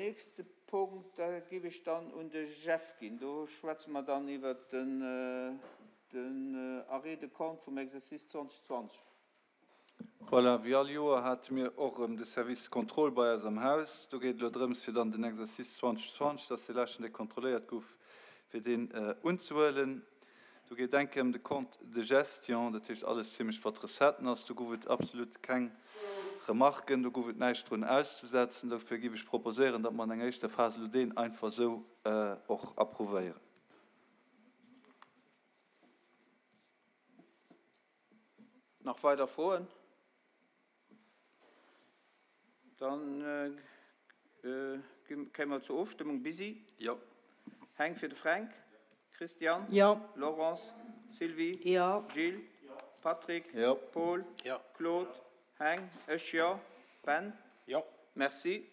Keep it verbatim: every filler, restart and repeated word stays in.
nächste Punkt, da géif ech dann un de Jeff ginn. Do schwätze mer dann iwwert den den Arrêt de compte vum Exercice zweitausendzwanzig. Voilà, wéi all Joer hate mir och erëm de Service Contrôle bei eis am Haus. Do geet et elo drëms, fir dann den Exercice zweitausendzwanzig, dat ass dee leschten, dee kontrolléiert gouf, fir deen unzehuelen. Do geet eng Kéier ëm de Compte de gestion, dat heescht alles zimlech wat Recetten ass. Do gouf et absolut keng Remarken, do gouf et näischt drun auszesetzen. Dofir géif ech proposéieren, datt mer an enger éischter Phas elo deen einfach esou och approuvéieren. Nach weider Froen? Dann kéime mer zur Ofstëmmung. Busy? Jo. Heng fir de Fränk? Christian? Jo. Laurence? Sylvie? Jo. Gilles? Patrick? Jo. Paul? Jo. Claude? Heng? Ech jo. Ben? Jo. Merci.